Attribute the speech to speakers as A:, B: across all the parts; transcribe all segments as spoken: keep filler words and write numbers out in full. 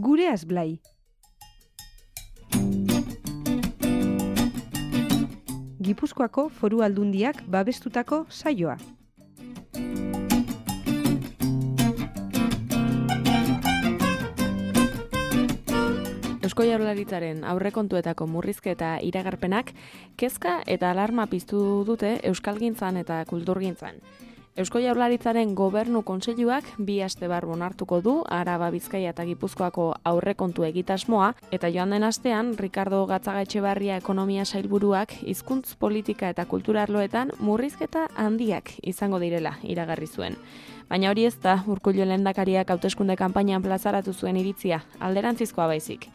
A: Gure Azblai. Gipuzkoako Foru Aldundiak babestutako saioa.
B: Eusko Jaurlaritzaren aurrekontuetako murrizketa iragarpenak kezka eta alarma piztu dute euskalgintzan eta kulturgintzan. Eusko Jaurlaritzaren Gobernu Kontseiluak bi aste barru onartuko du Araba, Bizkaia eta Gipuzkoako aurrekontu egitasmoa, eta joan den astean Ricardo Gatzagaetxebarria ekonomia sailburuak hizkuntz politika eta kultura arloetan murrizketa handiak izango direla iragarri zuen. Baina hori ez da Urkullu lehendakariak hauteskunde kanpainan plazaratu zuen iritzia, alderantzizkoa baizik.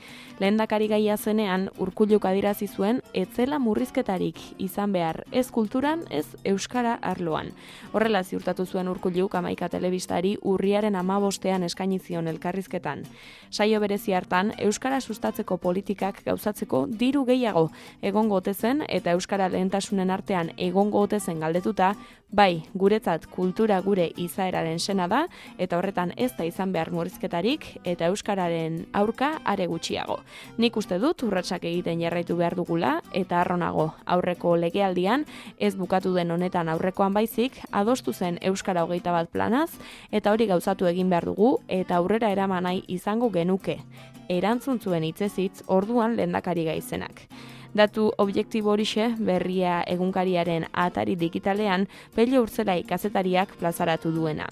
B: Lehendakari gaia zenean Urkulluk adierazi zuen ez zela murrizketarik izan behar ez kulturan, ez euskara arloan. Horrela ziurtatu zuen Urkulluk hamaika telebistari urriaren hamabostean eskaini zion elkarrizketan. Saio berezi hartan euskara sustatzeko politikak gauzatzeko diru gehiago egongo ote zen eta euskara lehentasunen artean egongo ote zen galdetuta, bai, guretzat kultura gure izaeraren sena da, eta horretan ez da izan behar murrizketarik, eta euskararen aurka are gutxiago. Nik uste dut urratsak egiten jarraitu behar dugula, eta arronago aurreko legealdian, ez bukatu den honetan aurrekoan baizik, adostu zen euskara hogeita bat planaz, eta hori gauzatu egin behar dugu, eta aurrera eraman nahi izango genuke. Erantzun zuen hitzez-hitz orduan lehendakari gaizenak. Datu objektibo horixe Berria egunkariaren atari digitalean Pello Urtzelai kazetariak plazaratu duena.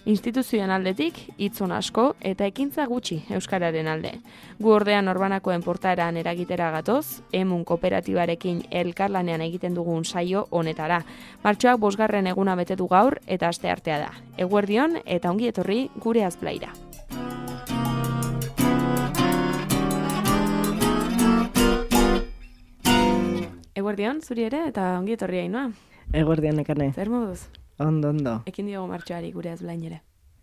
B: Instituzioen aldetik hitzon asko eta ekintza gutxi euskararen alde. Gu ordean Norbanakoen portaeran eragitera gatoz, Emun kooperatibarekin elkarlanean egiten dugun saio honetara. Martxoak bosgarren eguna bete du gaur eta asteartea da. Eguerdion eta ongi etorri Gure Azblaira. Eguerdion, zuri ere, eta ongi etorri Ainhoa.
C: Eguerdion, Nekane.
B: Zer moduz?
C: Ondo, ondo.
B: Ekin diogo martxoari Gure Azblain ere.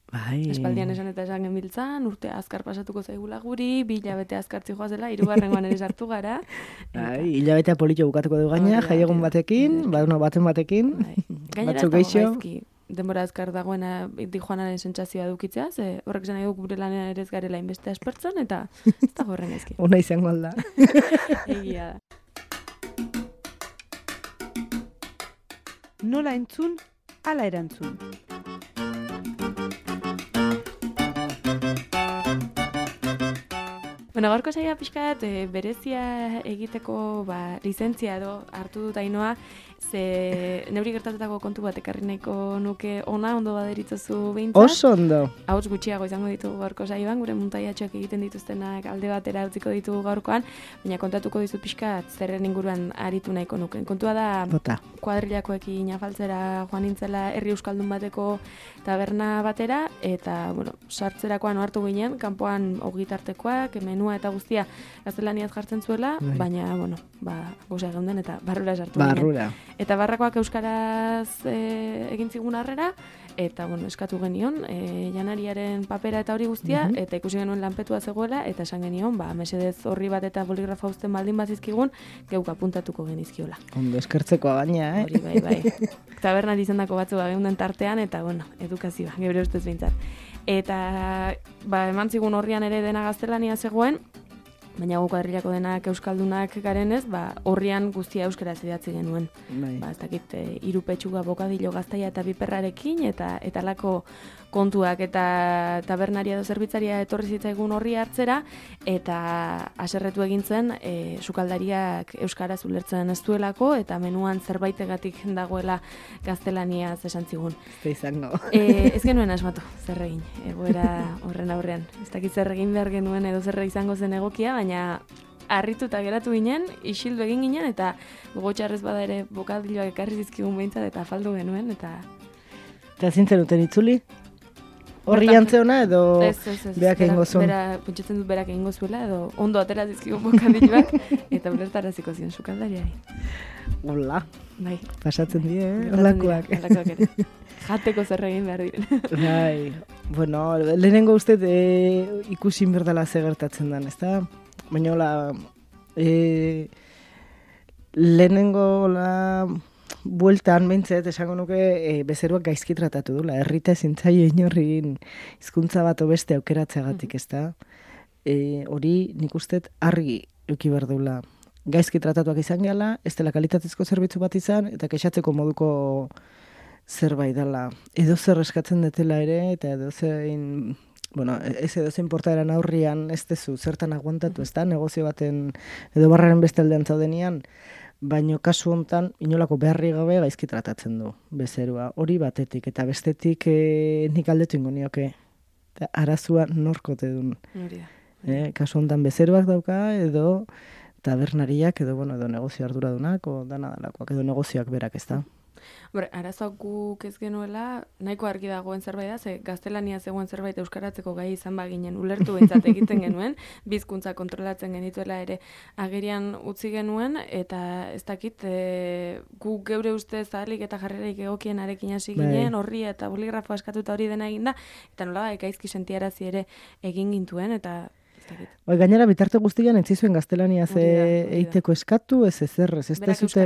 C: Bai.
B: Espaldian esan eta esan genbiltzan, urte azkar pasatuko zaigula guri, bi hilabete azkartzi joazela, hirugarrengoan ere sartu gara.
C: Bai, hilabetea politxo bukatuko du gaina, jaiegun batekin, baduna baten batekin, batzuk geixo.
B: Denbora azkar dagoena di joanaren sentsazioa dukitzea, ze horrek esan nahi du gure lanean ere ez garela inbeste aspertzen, eta ez da horren ezki.
C: Una izango alda.
B: Egia da.
A: Nola entzun, ala erantzun.
B: Bueno, gaurko saia pixkat e, berezia egiteko ba, lizentzia edo hartu dut Ainhoa, ze neuri gertatutako kontu bat ekarri nahiko nuke ona, ondo baderitzozu behintzat.
C: Oso ondo.
B: Hauts gutxiago izango ditugu gaurko saioan, gure muntaiatxoak egiten dituztenak alde batera utziko ditugu gaurkoan, baina kontatuko dizut pixkat zerren inguruan aritu nahiko nuke. Kontua da,
C: Bota.
B: Kuadrilakoekin afaltzera joan nintzela herri euskaldun bateko taberna batera, eta, bueno, sartzerakoan ohartu ginen, kanpoan ogitartekoak, menua eta guztia gaztelaniaz jartzen zuela,
C: Bai.
B: baina, bueno, ba, gozea geunden eta barrura sartu
C: Barrura.
B: ginen. Eta barrakoak euskaraz e, egin zigun harrera, eta, bueno, eskatu genion, e, janariaren papera eta hori guztia,
C: Mhm.
B: eta ikusi genuen lanpetua zegoela, eta esan genion, ba, mesedez horri bat eta boligrafa uzten baldin bazizkigun, geuk apuntatuko genizkiola.
C: Ondo eskertzekoa gaina, eh?
B: Hori, bai, bai. Tabernan izandako batzu geunden tartean, eta, bueno, edukazioa, gebre ustez behintzat. Eta, ba, eman zigun horrian ere dena gaztelania zegoen, baina gu kuadrilako denak euskaldunak garenez, ba, horrian guztia euskaraz idatzi genuen.
C: Bai.
B: Ba, ez dakit, e, hiru petxuga bokadilo gaztaia eta biperrarekin, eta eta lako kontuak eta tabernaria edo zerbitzaria etorri zitzaigun horri hartzera, eta haserretu egin zen e, sukaldariak euskaraz ulertzen ez duelako, eta menuan zerbaitegatik dagoela gaztelaniaz esan zigun.
C: Ez da izango.
B: E, ez genuen asmatu, zer egin, egoera horren aurrean. Ez dakit zer egin behar genuen edo zer izango zen egokia, baina harrituta geratu ginen, isildu egin ginen, eta gogotxarrez bada ere bokadiloak ekarri zizkigun behintzat, eta afaldu genuen, eta...
C: Eta zintzen duten itzuli? Horri jantzeona edo
B: Ez, ez, ez.
C: berak egingo zuen?
B: Bera, pentsatzen dut berak egingo zuela, edo ondo atera zizkigun bokadiloak, eta ulertaraziko zion sukaldariari.
C: Hola,
B: Bai.
C: pasatzen die, eh?
B: Gertatzen
C: Holakoak.
B: dira, holakoak ere. Jateko zer egin behar diren.
C: Bai, bueno, lehenengo uste e, ikusi berdala ze gertatzen den, ezta? Baina hola, e, lehenengo la bueltan behintzet esango nuke e, bezeroak gaizki tratatu dula. Herrita ezin zaio inorrin hizkuntza bat beste aukeratzeagatik, ezta? e, hori nik usteet argi euki behar deula. Gaizki tratatuak izan gehala, ez dela kalitatezko zerbitzu bat izan, eta kexatzeko moduko zerbait dela. Edo zer eskatzen detela ere, eta edo zein, bueno, ez edo zein portaeran aurrian ez dezu zertan aguantatu, ez da, negozio baten edo barraren beste aldean zaudenian, baino kasu hontan inolako beharri gabe gaizki tratatzen du bezerua. Hori batetik, eta bestetik e, nik aldetu ingo nioke. Eta arazua norkote dun. E, kasu hontan bezeruak dauka, edo tabernariak, edo, bueno, edo negozio arduradunak, o dana dalakoak, edo negozioak berak, ez da.
B: Bore, arazoak guk ez genuela, nahiko argi dagoen zerbait da, ze gaztelania zegoen zerbait euskaratzeko gai izan baginen, ulertu behintzat egiten genuen, bizkuntza kontrolatzen genituela ere agerian utzi genuen, eta ez dakit, e, guk geure ustez ahalik eta jarreraik egokien arekin hasi ginen, horri eta boligrafo askatuta hori dena eginda, eta nola gaizki sentiarazi ere egin gintuen, eta
C: Bai, gainera bitarte guztian entzizuen gaztelania ze eiteko eskatu, ez ezer, ez ez dezute...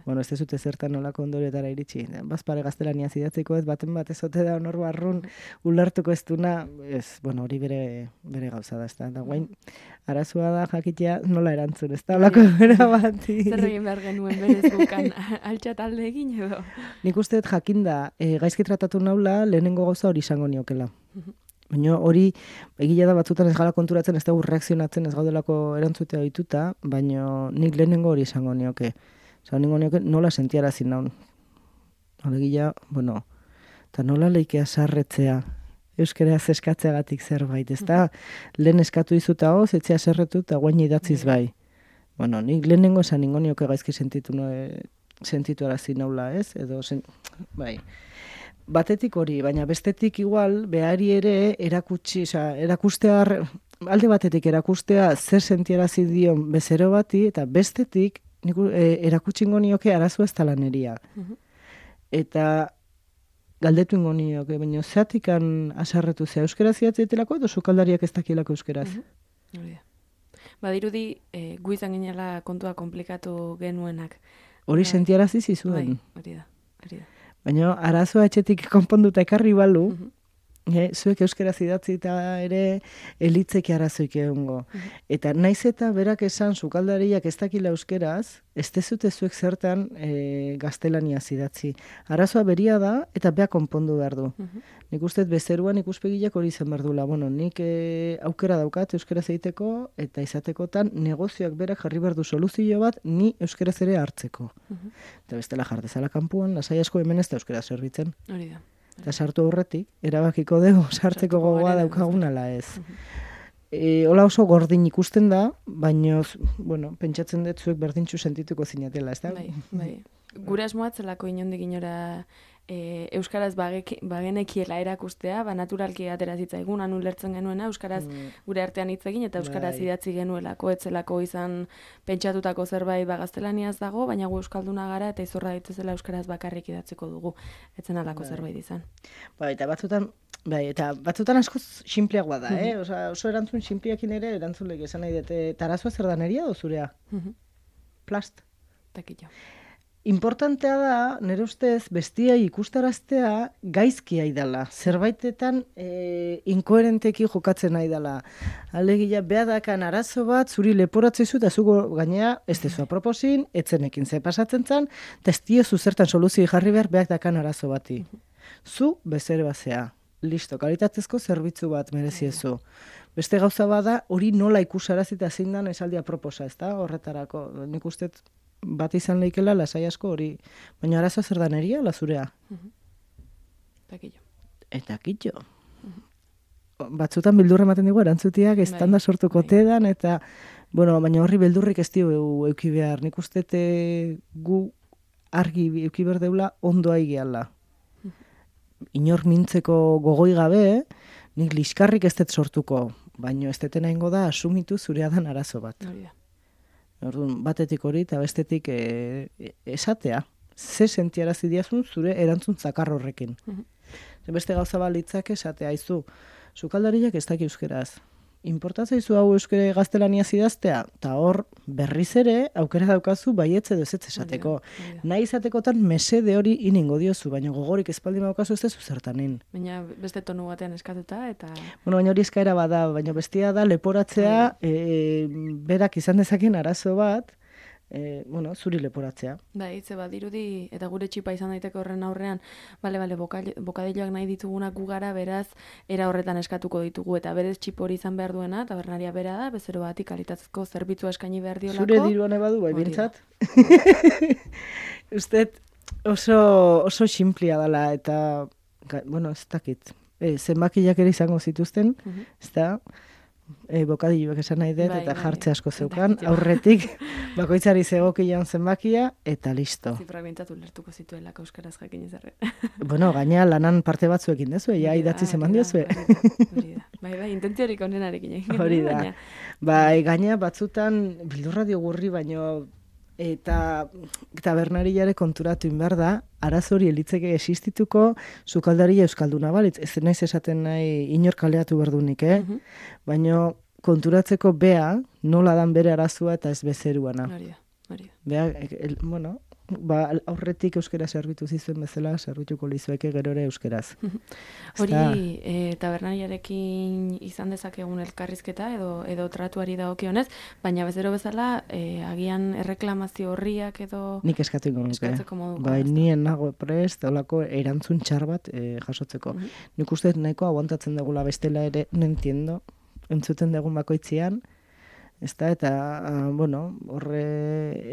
C: Bueno, ez dezute zertan nolako ondorietara iritsi. Bazpare gaztelania zidatzeko ez, baten bat ezote da honor barrun ulertuko ez duna, ez, bueno, hori bere, bere gauza da, ez da. Da guain, arazua da jakitea nola erantzun, ez da, olako bera bat.
B: Zer egin behar genuen berez bukan altxa talde egin edo?
C: Nik uste jakinda, e, gaizki tratatu naula, lehenengo gauza hori izango niokela. Baina hori, egila da batzutan ez gala konturatzen, ez dugu reakzionatzen, ez gaudelako erantzutea ohituta, baina nik lehenengo hori izango nioke. Osa, ningo nioke nola sentiarazi naun. Egila, bueno, eta nola leikea sarretzea, euskeraz eskatzeagatik zerbait, ez da, lehen eskatu izuta hoz, etxea serretu eta guain idatziz bai. Bueno, nik lehenengo esan ningo nioke gaizki sentitu, no, sentitu arazi naula, ez? Edo, sen, bai... Batetik hori, baina bestetik igual, behari ere erakutsi, oza, erakustea, alde batetik erakustea zer sentiarazi dion bezero bati, eta bestetik niku, e, erakutsi ingo nioke arazoa ez talaneria. Uh-huh. Eta galdetu ingo nioke, baina zeatikan asarretu zea euskera ziatzetelako edo sukaldariak ez dakilako euskeraz.
B: Uh-huh. Badirudi, e, gu izan ginela kontua komplikatu genuenak.
C: Hori sentiarazi zizuen.
B: Bai, hori da, hori da.
C: Baina arazoa etxetik konponduta ekarri balu, uh-huh. e, zuek euskera zidatzi eta ere elitzeki arazoik egongo. Uh-huh. Eta naiz eta berak esan sukaldariak ez dakila euskeraz, ez dezute zuek zertan e, gaztelania zidatzi. Arazoa beria da eta beha konpondu behar du. Uh-huh. Nik usteet bezeruan ikuspegiak hori izan behar duela. Bueno, nik e, aukera daukat euskera zeiteko eta izatekotan negozioak berak jarri behar du soluzio bat ni euskera ere hartzeko. Uh-huh. Eta bestela jardezala kanpuan, lasai asko hemen ez da euskera zerbitzen.
B: Hori da.
C: Eta sartu horretik, erabakiko dugu sartzeko gogoa daukagunala ez. Uh-huh. E, hola oso gordin ikusten da, baina, bueno, pentsatzen dut zuek berdintxu sentituko zinatela, ez da?
B: Bai, bai. Gure asmoatzelako inondik inora e, euskaraz bagek, bagenekiela erakustea, ba naturalki atera zitzaigun, anu lertzen genuena, euskaraz mm. gure artean hitz egin, eta euskaraz bai. Idatzi genuelako, etzelako izan pentsatutako zerbait ba gaztelaniaz dago, baina gu euskalduna gara, eta izorra dituzela euskaraz bakarrik idatziko dugu, etzen alako bai. Zerbait izan.
C: Bai, eta batzutan, bai, eta batzutan askoz sinpleagoa da, eh? Osa, oso erantzun sinpleakin ere, erantzun lege esan nahi dute, tarazoa zer da neria do zurea? Plast.
B: Takillo.
C: Importantea da, nire ustez, bestia ikustaraztea gaizki aidala. Zerbaitetan e, inkoherenteki jokatzen aidala. Alegia, behadakan arazo bat, zuri leporatzezu, eta zugo gainea, ez dezu aproposin, etzenekin ze pasatzen zen, eta ez diozu zertan soluzio jarri behar, behadakan arazo bati. Zu, bezere bazea. Listo, kalitatezko zerbitzu bat mereziezu. Beste gauza bada, hori nola ikusarazita zein dan esaldia proposa, ez da? Horretarako, nik uste bat izan leikela lasai asko hori. Baina arazoa zer da neria, lazurea?
B: Uh-huh. Takillo.
C: Eta kitxo. Uh-huh. Batzutan bildurra ematen dugu erantzutiak, ez tanda sortuko bai. Tedan, eta, bueno, baina horri beldurrik ez dio euki behar. Nik uste gu argi euki behar deula ondoa igeala. Inor mintzeko gogoi gabe, nik liskarrik ez dut sortuko, baino ez detena ingo da asumitu zurea dan arazo bat. Orduan, batetik hori eta bestetik e, esatea. Ze sentiarazi diazun zure erantzun zakar horrekin. Uh-huh. Beste gauza balitzak esatea, aizu, sukaldariak ez daki euskeraz. importatzaizu hau euskara gaztelania idaztea, eta hor berriz ere aukera daukazu baietze edo ezetz esateko. Nahi izatekotan mesede hori iningo diozu, baina gogorik espaldi daukazu ez dezu zertanin.
B: Baina beste tonu batean eskatuta eta...
C: Bueno, baina hori eskaera bada, baina bestia da leporatzea e, berak izan dezaken arazo bat, E, bueno, zuri leporatzea.
B: Ba, hitze bat, dirudi, eta gure txipa izan daiteke horren aurrean, bale, bale, bokadilloak nahi ditugunak gu gara, beraz, era horretan eskatuko ditugu, eta berez txip hori izan behar duena, tabernaria bera da, bezero bati kalitatezko zerbitzua eskaini behar diolako.
C: Zure diruan ebadu, bai, bintzat? Usted oso, oso simplia dela, eta, bueno, ez dakit, e, zenbakiak ere izango zituzten, uh -huh. ez da, E, bokadilloak esan nahi dut, bai, eta jartze asko zeukan, aurretik bakoitzari zegokian zenbakia, eta listo.
B: Zifrak bintatu lertuko zituelako euskaraz jakin ezarre.
C: Bueno, gaina lanan parte batzuekin dezu, ja, idatzi zeman diozue.
B: Hori da, bai, bai, intentziorik onenarekin egin.
C: Hori da, bai, gaina batzutan, bildurradio gurri, baino, eta tabernariare konturatu inbar da, arazo hori elitzeke existituko sukaldaria euskalduna balitz. Ez naiz esaten nahi inor kaleatu berdunik, eh? Uh-huh. Baina konturatzeko bea nola dan bere arazoa eta ez bezeruana.
B: Hori da, hori da.
C: Bea, el, bueno, ba, aurretik euskera servitu zizuen bezala, servituko lizueke gero ere euskeraz.
B: Hori, e, tabernariarekin izan dezakegun elkarrizketa edo edo tratuari dagokionez, baina bezero bezala, e, agian erreklamazio horriak edo...
C: Nik eskatu ingo nuke. Bai, nien nago prest, olako erantzun txar bat e, jasotzeko. Uh-huh. Nik uste nahiko aguantatzen dugula bestela ere, nentiendo, entzuten dugun bakoitzian, ez da, eta, uh, bueno, horre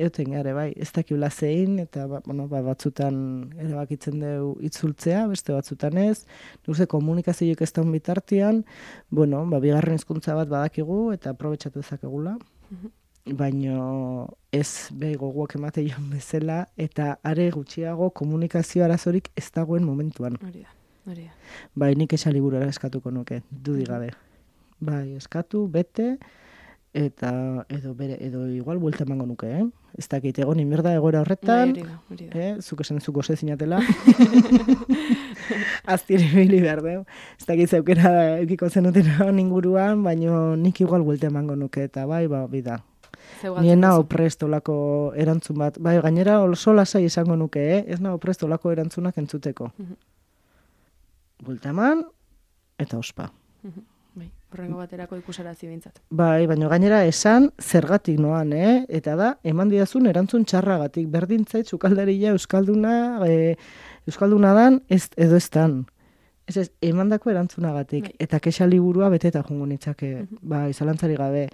C: eoten gare, bai, ez dakibla zein, eta, ba, bueno, ba, batzutan erabakitzen dugu itzultzea, beste batzutan ez, nuze komunikazioik ez daun bitartian, bueno, ba, bigarren hizkuntza bat badakigu, eta aprobetxatu ezakegula, uh-huh. baino ez behi goguak emate joan bezala, eta are gutxiago komunikazio arazorik ez dagoen momentuan.
B: Hori da, hori da.
C: Bai, nik esan liburara eskatuko nuke, dudigabe. Bai, eskatu, bete, eta edo bere edo igual buelta emango nuke, eh? Ez dakit egon inberda egoera horretan,
B: bai, hori da, hori da.
C: Eh? Zuk esan zuko ze zinatela. Aztiri bili behar deu. Ez dakit zeukera eukiko zenutena inguruan, baino nik igual buelta emango nuke, eta bai, ba, bida. Nien nago prest olako erantzun bat. Bai, gainera oso lasai esango nuke, eh? Ez nago prest olako erantzunak entzuteko. Uh-huh. Buelta eman, eta ospa.
B: Uh-huh. Bai, horrengo baterako ikusarazi bintzat.
C: Bai, baina gainera esan zergatik noan, eh? Eta da, eman didazun erantzun txarragatik. Berdintzait, sukaldaria euskalduna, e, euskalduna dan, ez, edo ez dan. Ez ez, emandako erantzunagatik. Bai. Eta kexa liburua beteta jungo nitzake, uh-huh. bai, zalantzari gabe.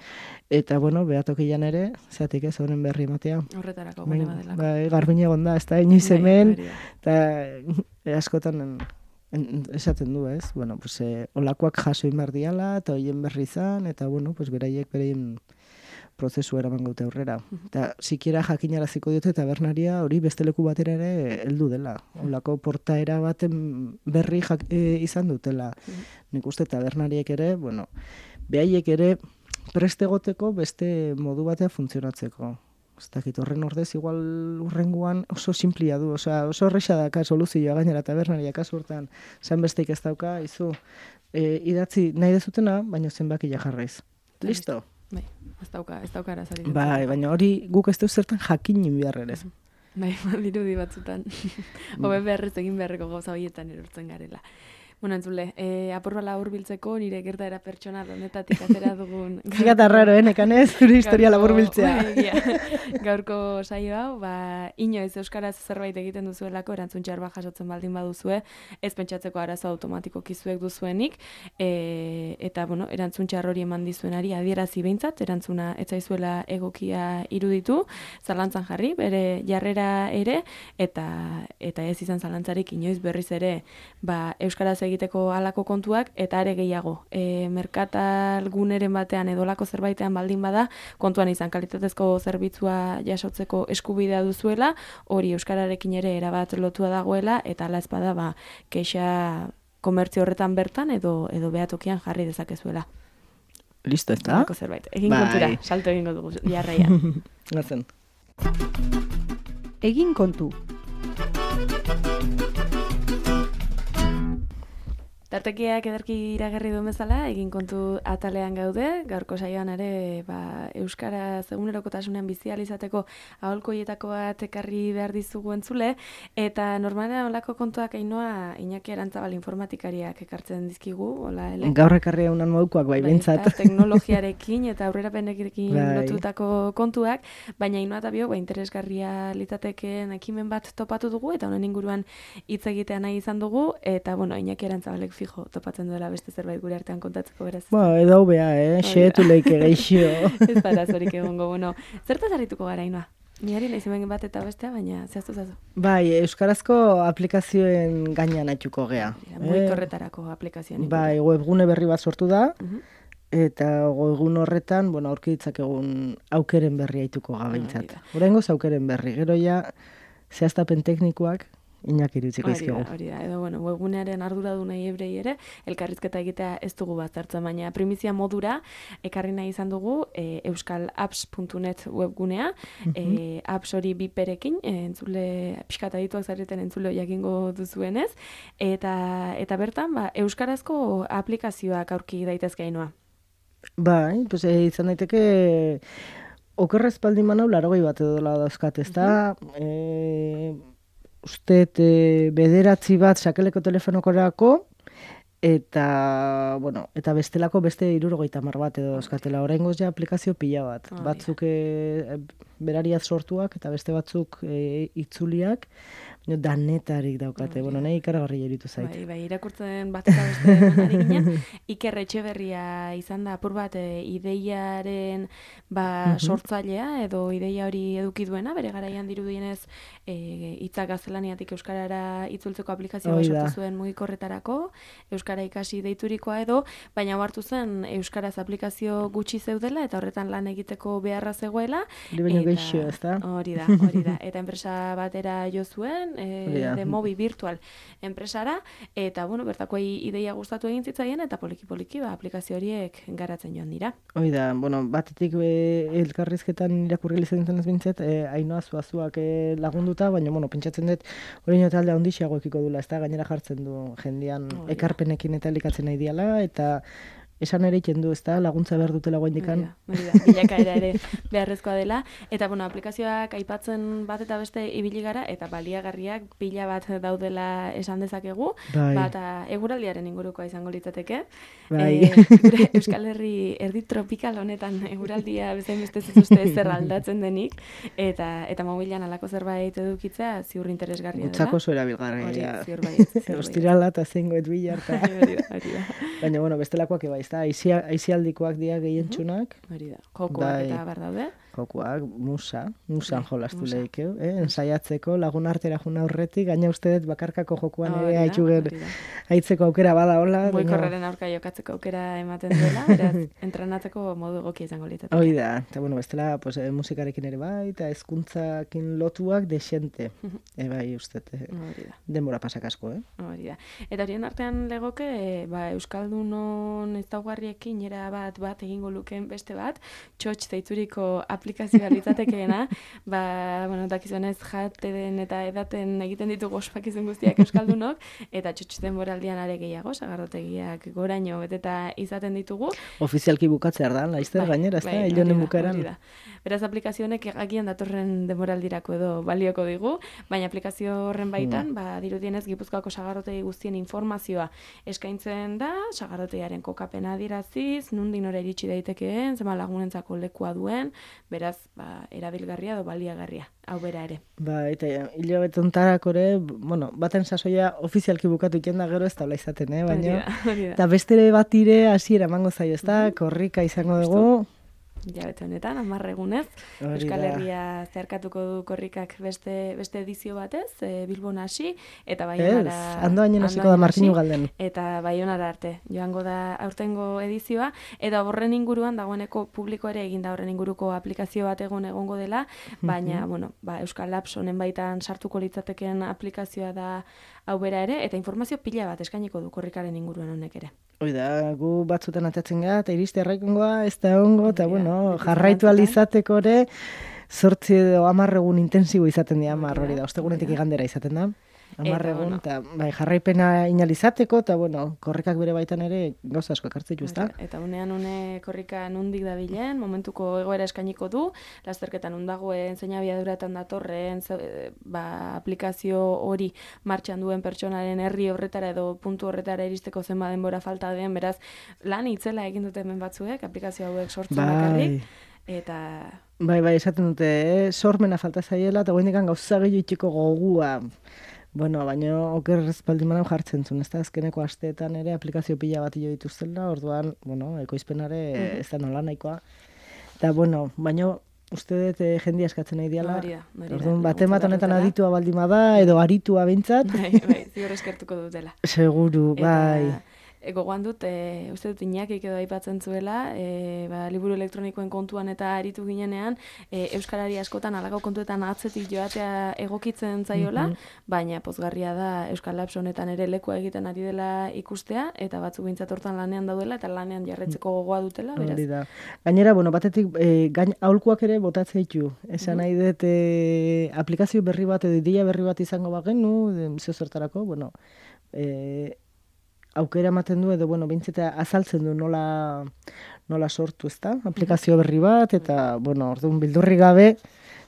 C: Eta, bueno, behatokian ere, zeatik ez, honen berri ematea.
B: Horretarako gune badelako.
C: Bai, garbine gonda, ez da, inoiz hemen, eta e, askotan... En, esaten du, ez? Bueno, pues, eh, olakoak jaso inbar diala, eta hoien berri izan, eta, bueno, pues, beraiek bereien prozesu eraman gaute aurrera. Eta, sikiera jakinaraziko diote tabernaria hori beste leku batera ere heldu dela. Olako portaera baten berri jak, e, izan dutela. Nik uste tabernariek ere, bueno, behaiek ere prestegoteko beste modu batea funtzionatzeko. Ez dakit, horren ordez, igual urrenguan oso simplia du, osea, oso horreixa daka soluzioa gainera tabernaria kasu hortan, zan besteik ez dauka, izu, e, idatzi nahi dezutena, baina zenbakia jarraiz. Listo?
B: Bai, ez dauka, ez dauka arazari.
C: Bai, baina hori guk ez dut zertan jakinin beharrerez.
B: Bai, dirudi batzutan. Hobe beharrez egin beharreko gauza horietan erortzen garela. Bueno, entzule, eh, apurbala hurbiltzeko nire gertaera pertsonal honetatik atera dugun...
C: Fíjate raro, eh, nekanez, zure historia labur biltzea.
B: Gaurko saio hau, ba, inoiz euskaraz zerbait egiten duzuelako, erantzun txarba jasotzen baldin baduzue, ez pentsatzeko arazo automatikoki zuek duzuenik, e, eta, bueno, erantzun txar hori eman dizuenari adierazi behintzat, erantzuna ez zaizuela egokia iruditu, zalantzan jarri, bere jarrera ere, eta eta ez izan zalantzarik inoiz berriz ere, ba, euskaraz egiteko halako kontuak, eta are gehiago. E, merkatal guneren batean edolako zerbaitean baldin bada, kontuan izan kalitatezko zerbitzua jasotzeko eskubidea duzuela, hori euskararekin ere erabat lotua dagoela, eta ala ezpada ba, keixa komertzio horretan bertan edo edo behatokian jarri dezakezuela.
C: Listo, ez da?
B: Zerbait. Egin kontura, salto egingo dugu jarraian.
C: Gazen.
A: Egin kontu.
B: Tartekiak ederki iragarri duen bezala, egin kontu atalean gaude, gaurko saioan ere ba, Euskaraz egunerokotasunean bizi ahal izateko aholkoietako bat ekarri behar dizugu entzule, eta normalean olako kontuak Ainoa Iñaki Arantzabal informatikariak ekartzen dizkigu, hola, ele?
C: Gaur ekarri egunan modukoak, bai, bentsat.
B: Teknologiarekin eta aurrerapenekin
C: bai.
B: lotutako kontuak, baina Ainoa eta biok, ba, interesgarria litateken ekimen bat topatu dugu, eta honen inguruan hitz egitea nahi izan dugu, eta, bueno, Iñaki Arantzabalek fijo topatzen duela beste zerbait gure artean kontatzeko beraz.
C: Ba, edo bea, eh? Xeetu leike geixio.
B: Ez para zorik egongo, bueno. Zertaz harrituko gara, Ainoa? Niari nahi zemen bat eta bestea, baina zehaztu zazu.
C: Bai, euskarazko aplikazioen gainean aituko gea.
B: Mugikorretarako aplikazioan.
C: Bai, webgune berri bat sortu da,
B: Uh-huh.
C: eta webgune horretan, bueno, aurki ditzakegun aukeren berri aituko gabeintzat. Oraingoz aukeren berri, gero ja zehaztapen teknikoak Iñaki irutziko izkigu.
B: Hori da, hori da. Edo, bueno, webgunearen arduradunei ebrei ere, elkarrizketa egitea ez dugu bat zartzen, baina primizia modura ekarri nahi izan dugu e, euskalapps puntu net webgunea, uh-huh. e, apps hori biperekin, e, entzule, pixkat adituak zareten entzule jakingo duzuenez, eta, eta bertan, ba, euskarazko aplikazioak aurki daitezke Ainoa.
C: Bai, pues, e, izan daiteke okerrez baldin manau larogei bat edo dauzkat, ez da, uh-huh. e, uste e, bederatzi bat sakeleko telefonokorako, eta, bueno, eta bestelako beste hirurogeita hamar bat edo euskatela. Oraingoz ja aplikazio pila bat. Oh, batzuk e, berariaz sortuak eta beste batzuk e, itzuliak, no, danetarik daukate. Oh, bueno, nahi ikaragarri eritu zait.
B: Bai, bai, irakurtzen bat eta beste ari ginen. Iker Etxeberria izan da apur bat e, ideiaren ba, uh-huh. sortzailea edo ideia hori eduki duena, bere garaian dirudienez e, hitzak gaztelaniatik euskarara itzultzeko aplikazioa sortu zuen mugikorretarako, euskara ikasi deiturikoa edo, baina hartu zen euskaraz aplikazio gutxi zeudela eta horretan lan egiteko beharra zegoela.
C: Geixo, ezta?
B: Hori da, hori da. Eta enpresa batera jo zuen, e, de mobi virtual enpresara, eta bueno, bertakoi ideia gustatu egin zitzaien, eta poliki-poliki ba, aplikazio horiek garatzen joan dira.
C: Hoi da, bueno, batetik e, elkarrizketan irakurri izan ez bintzet, e, Ainoa zuazuak e, lagunduta, baina, bueno, pentsatzen dut, hori nio talde handixiago ekiko dula, ez da, gainera jartzen du jendian oh, ekarpenekin eta elikatzen nahi diala, eta esan ere ikendu, ez da, laguntza behar dutela guaindikan.
B: Hori da, bilakaera ere beharrezkoa dela. Eta, bueno, aplikazioak aipatzen bat eta beste ibili gara, eta baliagarriak pila bat daudela esan dezakegu.
C: Bai.
B: Bata eguraldiaren ingurukoa izango litzateke.
C: Bai.
B: E, gure Euskal Herri erdi tropikal honetan eguraldia bezain beste zuzuzte zer aldatzen denik. Eta, eta mobilan alako zerbait edukitzea ziur interesgarria dela.
C: Gutzako zuera bilgarria.
B: Hori, ziur baiet.
C: Ostirala eta zengoet bilarta.
B: Hori da, hori da.
C: Baina, bueno, bestelakoak eba, da, aizialdikoak dira gehientsunak.
B: Hori da, jokoak bai, eta bar daude.
C: Jokoak, musa, musan jolastu lehikeu, eh? Ensaiatzeko, lagun artera juna aurretik, gaina uste dut bakarkako jokuan ere haitxugen haitzeko aukera bada hola.
B: Mugikorraren aurka jokatzeko aukera ematen duela, beraz, entrenatzeko modu egokia izango litzateke.
C: Hori da, eta bueno, bestela, pues, musikarekin ere bai, eta hezkuntzakin lotuak desente. e, bai, uste, eh? denbora pasak asko, eh?
B: Hori da. Eta horien artean legoke, ba, Euskaldunon ez daugarriekin era bat bat egingo lukeen beste bat, txotx deituriko aplikazioa litzatekeena, ba, bueno, dakizunez jaten eta edaten egiten ditugu ospakizun guztiak euskaldunok, eta txotx denboraldian are gehiago, sagardotegiak goraino beteta izaten ditugu.
C: Ofizialki bukatzea da, laizter bai, gainera, ez da, hilonen bukaeran.
B: Beraz, aplikazionek agian datorren denboraldirako edo balioko digu, baina aplikazio horren baitan, mm. ba, dirudienez Gipuzkoako sagarrotegi guztien informazioa eskaintzen da, sagardotegiaren kokapena adiraziz, nundin ora iritsi daitekeen, zema lagunentzako lekua duen, beraz, ba, erabilgarria edo baliagarria, hau bera ere.
C: Ba, eta hilabetontarako ere, bueno, baten sasoia ofizialki bukatu iken da gero ez taula izaten, eh? Baina, eta bestere bat ire hasiera emango zaio, ez da, korrika izango dugu.
B: Jabete honetan, hamar egunez, Euskal Herria zeharkatuko du korrikak beste, beste edizio batez, e, Bilbon hasi, eta Baionara...
C: Ez, ando hainen hasiko da Martinu Galden.
B: Eta Baionara arte, joango da aurtengo edizioa, eta horren inguruan dagoeneko publiko ere egin da horren inguruko aplikazio bat egon egongo dela, baina, mm-hmm. bueno, ba, Euskalapps honen baitan sartuko litzateken aplikazioa da hau bera ere, eta informazio pila bat eskainiko du korrikaren inguruan honek ere.
C: Hoi da, gu batzutan atatzen gara, eta iriste erraikongoa, ez da ongo, eta bueno, jarraitu alizateko ere, zortzi edo hamar egun intensibo izaten dira, hamar hori da, ostegunetik igandera izaten da. hamar
B: Eta,
C: egun,
B: bueno.
C: eta bai, jarraipena inalizateko, eta bueno, korrekak bere baitan ere gauza asko ekartzen du, ezta?
B: Eta unean une korrika nundik dabilen, momentuko egoera eskainiko du, lasterketan undagoen, zein abiaduratan datorren, ze, ba, aplikazio hori martxan duen pertsonaren herri horretara edo puntu horretara iristeko zenba denbora falta den, beraz, lan itzela egin dute hemen batzuek, aplikazio hauek sortzen bakarrik, eta...
C: Bai, bai, esaten dute, eh? Sormena falta zaiela, eta goindekan gauza gehiago itxiko gogua. Bueno, baina oker espaldimanan jartzen zuen, ez da, azkeneko asteetan ere aplikazio pila bat jo dituztela, orduan, bueno, ekoizpenare mm-hmm. ez da nola nahikoa. Eta, bueno, baina uste dut eh, jendia eskatzen nahi diala.
B: Hori da, hori da.
C: Orduan, batemat honetan aditua baldima da, edo aritua behintzat.
B: Bai, bai, ziur eskertuko dutela.
C: Seguru, bai.
B: Eta... E, gogoan dut, e, uste dut Iñakik edo aipatzen zuela, e, ba, liburu elektronikoen kontuan eta aritu ginenean, e, euskarari askotan alako kontuetan atzetik joatea egokitzen zaiola, mm-hmm. baina pozgarria da Euskal Labs honetan ere lekua egiten ari dela ikustea, eta batzuk bintzat hortan lanean daudela, eta lanean jarretzeko gogoa dutela, beraz.
C: Hori da. Gainera, bueno, batetik, e, gain aholkuak ere botatzea ditu. Esan mm-hmm. nahi dut, e, aplikazio berri bat edo ideia berri bat izango bagenu, zeo zertarako, bueno, e, aukera ematen du edo, bueno, bintzeta azaltzen du nola, nola sortu, ezta? Aplikazio berri bat, eta, bueno, orduan bildurri gabe,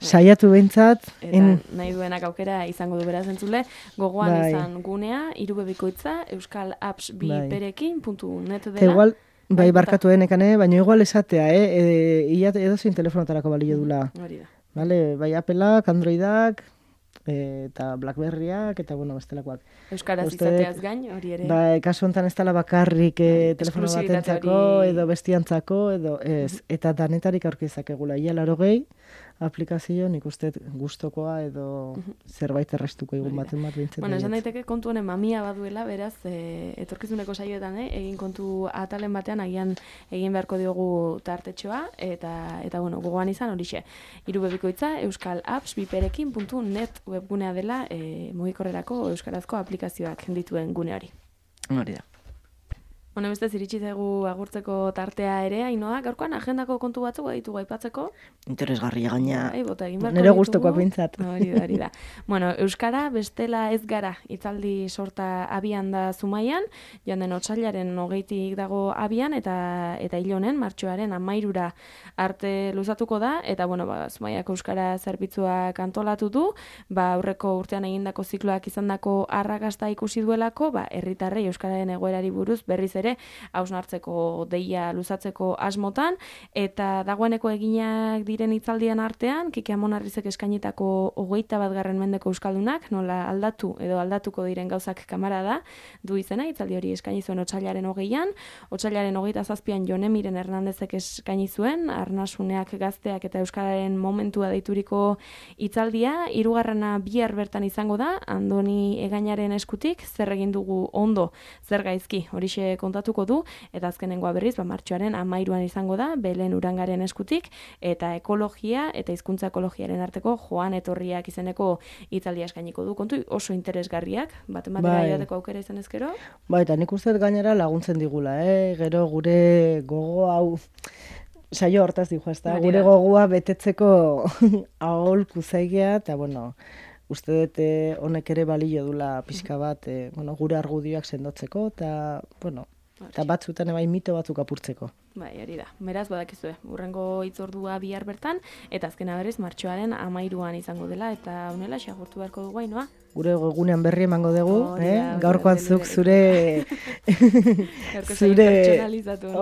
C: saiatu behintzat.
B: Eta
C: en...
B: nahi duenak aukera izango du beraz entzule, gogoan
C: bai.
B: izan gunea, irubebikoitza, euskal apps bi
C: bai.
B: perekin puntu net dela.
C: Eta igual, bai, barkatu enekane, baina igual esatea, eh? E, ia edo zein telefonotarako balio dula.
B: Hori da.
C: Vale, bai, Appleak, Androidak, eta Blackberryak, eta, bueno, bestelakoak.
B: Euskaraz
C: Uste,
B: izateaz gain, hori ere.
C: Bai, kasu honetan ez dela bakarrik eh, telefono batentzako,
B: hori...
C: edo bestiantzako, edo ez. Mm-hmm. Eta danetarik aurkezakegula. Ia laro gehi, aplikazio nik uste gustokoa edo mm-hmm. zerbait errestuko egun baten bat bintzen.
B: Bueno, esan daiteke kontu honen mamia baduela, beraz, e, etorkizuneko saioetan, eh, egin kontu atalen batean, agian egin beharko diogu tartetxoa, eta, eta bueno, gogoan izan horixe. Irubebikoitza, euskal apps biperekin puntu net webgunea dela, e, mugikorrerako euskarazko aplikazioak dituen gune hori.
C: Hori da.
B: Bueno, beste ziritsi zaigu agurtzeko tartea ere, Ainoa, gaurkoan agendako kontu batzuk baditu aipatzeko.
C: Interesgarria gaina.
B: Bai, bota egin beharko
C: nire
B: ditugu.
C: gustokoak bintzat.
B: Hori da, hori da. Bueno, euskara bestela ez gara hitzaldi sorta abian da Zumaian, joan den otsailaren hogeitik dago abian, eta eta hil honen, martxoaren hamairura arte luzatuko da, eta bueno, ba, Zumaiako euskara zerbitzuak antolatu du, ba, aurreko urtean egindako zikloak izandako arrakasta ikusi duelako, ba, herritarrei euskararen egoerari buruz berriz ere hausnartzeko deia luzatzeko asmotan, eta dagoeneko eginak diren hitzaldian artean, Kike Amonarrizek eskainitako hogeita bat garren mendeko euskaldunak, nola aldatu edo aldatuko diren gauzak kamara da, du izena, hitzaldi hori eskaini zuen otsailaren hogeian, otsailaren hogeita zazpian Jonemiren Hernandezek eskaini zuen, Arnasuneak gazteak eta euskararen momentua deituriko hitzaldia, hirugarrena bihar bertan izango da, Andoni Egainaren eskutik, zer egin dugu ondo, zer gaizki, horixe kontatuko du, eta azkenengoa berriz, ba, martxoaren hamairuan izango da, Belen Urangaren eskutik, eta ekologia eta hizkuntza ekologiaren arteko joan etorriak izeneko hitzaldia eskainiko du. Kontu oso interesgarriak, baten batera
C: bai.
B: joateko aukera izan ezkero.
C: Bai, eta nik uste gainera laguntzen digula, eh? Gero gure gogo hau, saio hortaz dijo, ez da? Gure gogoa betetzeko aholku zaigea, eta bueno, uste dut honek ere balio dula pixka bat, eh, bueno, gure argudioak sendotzeko, eta, bueno, eta batzutan ebai mito batzuk apurtzeko.
B: Bai, hori da. Beraz, badakizue, urrengo hitzordua bihar bertan, eta azkena berriz martxoaren hamairuan izango dela, eta honela xagurtu beharko dugu, Ainoa.
C: Gure egunean berri emango dugu,
B: oh,
C: eh?
B: Da,
C: gaurkoan
B: da,
C: zuk
B: da,
C: zure...
B: zure... pertsonalizatu.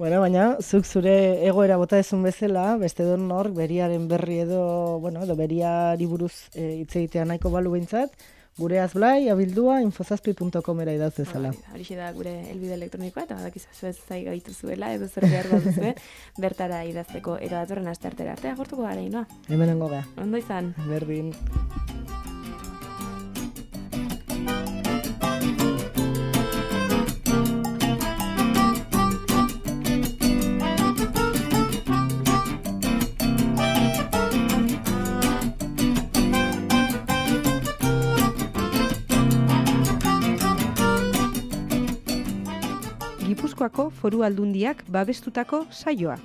C: Bueno, baina, zuk zure egoera bota ezun bezala, beste don nor, beriaren berri edo, bueno, edo beriari buruz e, hitz egitea nahiko balu behintzat, gure azblai, abildua, infozazpi puntu comera idauz ezala.
B: Horixe da gure helbide elektronikoa, eta badakizu zuez zai gaitu zuela, edo zer behar baduzue, bertara idazteko, eta datorren asteartera arte, agortuko gara, Ainoa.
C: Hemenengo ga.
B: Ondo izan.
C: Berdin.
A: Gipuzkoako Foru Aldundiak babestutako saioa.